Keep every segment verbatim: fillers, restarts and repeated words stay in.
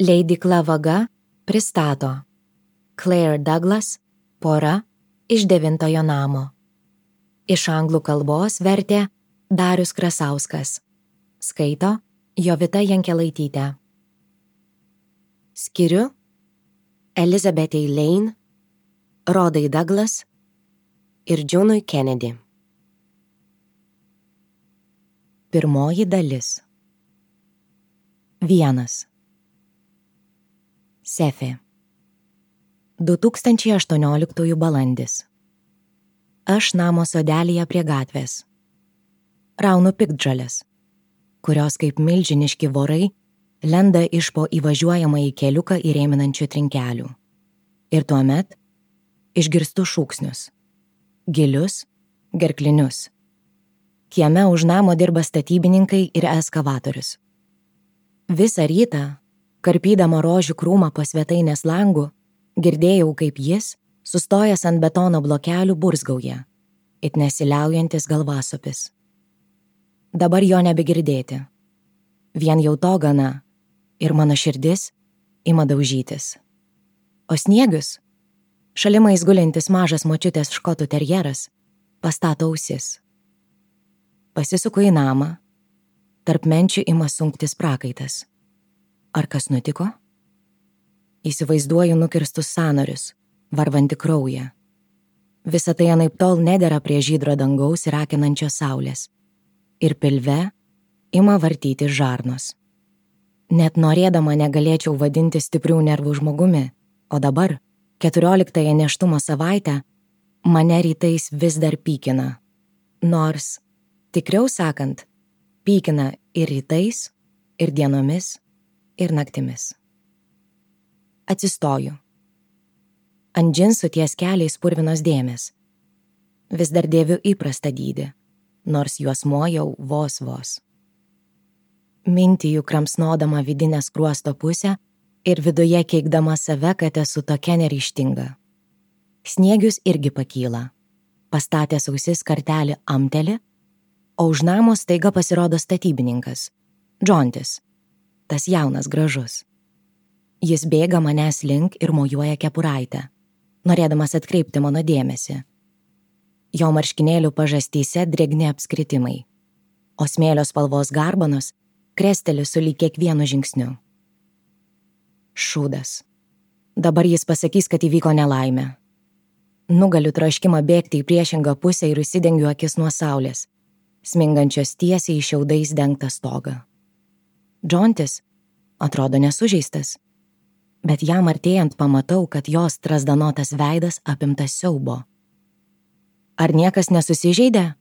Leidykla Vaga pristato Claire Douglas Pora iš devintojo namo. Iš anglų kalbos vertė Darius Krasauskas. Skaito Jovita Jankelaitytė. Skiriu Elizabethai Lane, Rodai Douglas ir Džonui Kennedy. Pirmoji dalis. Vienas. Sefė. du tūkstančiai aštuonioliktųjų balandis. Aš namo sodelyje prie gatvės. Raunu piktžoles, kurios kaip milžiniški vorai lenda iš po įvažiuojamąjį keliuką įrėminančių trinkelių. Ir tuomet išgirstu šūksnius. Gilius, gerklinius. Kieme už namo dirba statybininkai ir eskavatorius. Visą rytą, karpydama rožių krūmą po svetainės langų, girdėjau, kaip jis, sustojęs ant betono blokelių, burzgauja, it nesiliaujantis galvasopis. Dabar jo nebegirdėti. Vien jau to gana, ir mano širdis ima daužytis. O Sniegius, šalimais gulintis mažas močiutės škotų terjeras, pastato ausis. Pasisuku į namą, tarp menčių ima sunktis prakaitas. Ar kas nutiko? Įsivaizduoju nukirstus sąnarius, varvantį kraują. Visa tai anaiptol nedera prie žydro dangaus ir akinančios saulės. Ir pilve ima vartyti žarnos. Net norėdama negalėčiau vadinti stiprių nervų žmogumi, o dabar, keturioliktąją nėštumo savaitę, mane rytais vis dar pykina. Nors, tikriau sakant, pykina ir rytais, ir dienomis, ir naktimis. Atsistoju. Ant džinsų ties keliais purvinos dėmės. Vis dar dėviu įprastą dydį, nors juosmuo jau vos vos. Mintijų kramsnodama vidinę skruosto pusę ir viduje keikdama save, kad esu tokia neryžtinga. Sniegius irgi pakyla. Pastatęs ausis kartelį amteli, o už namo staiga pasirodo statybininkas. Džontis. Tas jaunas gražus. Jis bėga manęs link ir mojuoja kepuraitę, norėdamas atkreipti mano dėmesį. Jo marškinėlių pažastyse drėgni apskritimai, o smėlio spalvos garbanos kresteli sulyg kiekvienu žingsniu. Šūdas. Dabar jis pasakys, kad įvyko nelaimė. Nugaliu troškimą bėgti į priešingą pusę ir užsidengiu akis nuo saulės, smingančios tiesiai į šiaudais dengtą stogą. Džontis atrodo nesužeistas, bet jam artėjant pamatau, kad jos trasdanotas veidas apimtas siaubo. Ar niekas nesusižeidė?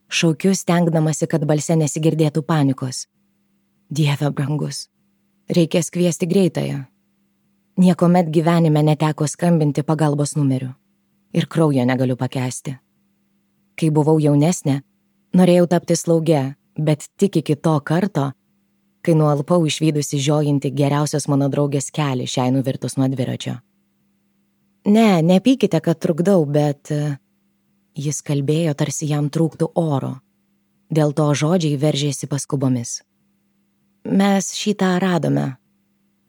Šaukiu, stengdamasi, kad balse nesigirdėtų panikos. Dieve brangus, reikės kviesti greitąją. Niekuomet gyvenime neteko skambinti pagalbos numeriu ir kraujo negaliu pakęsti. Kai buvau jaunesnė, norėjau tapti slauge, bet tik iki to karto, kai nualpau išvydusi žiojinti geriausios mano draugės kelią šiai nuvirtus nuo dviračio. Ne, nepykite, kad trukdau, bet jis kalbėjo, tarsi jam trūktų oro. Dėl to žodžiai veržėsi paskubomis. Mes šitą radome.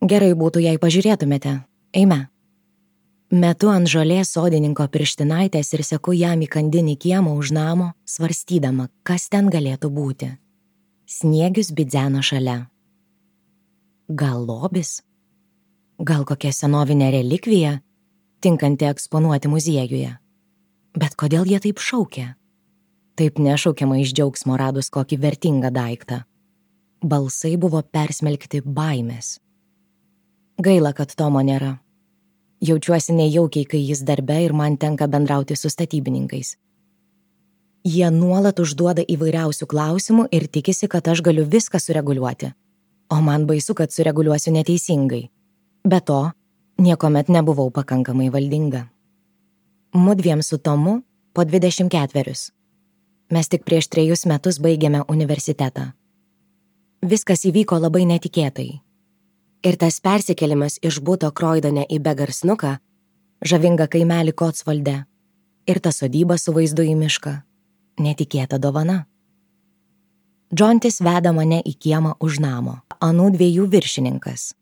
Gerai būtų, jei pažiūrėtumėte. Eime. Metu ant žolės sodininko pirštinaitės ir seku jam į kandinį kiemą už namo, svarstydama, kas ten galėtų būti. Sniegius bidzeno šalia. Gal lobis? Gal kokia senovinė relikvija, tinkanti eksponuoti muziejuje? Bet kodėl jie taip šaukia? Taip nešaukiama iš džiaugsmo radus kokį vertingą daiktą. Balsai buvo persmelkti baimės. Gaila, kad Tomo nėra. Jaučiuosi nejaukiai, kai jis darbe ir man tenka bendrauti su statybininkais. Jie nuolat užduoda įvairiausių klausimų ir tikisi, kad aš galiu viską sureguliuoti. O man baisu, kad sureguliuosiu neteisingai. Be to, niekuomet nebuvau pakankamai valdinga. Mudviem su Tomu po dvidešimt ketverius. Mes tik prieš trejus metus baigėme universitetą. Viskas įvyko labai netikėtai. Ir tas persikėlimas iš buto Kroidone į Begarsnuką, žavingą kaimelį Kotsvalde, ir ta sodyba su vaizdu į mišką. Netikėta dovana. Džontis veda mane į kiemą už namo. Anų dviejų viršininkas.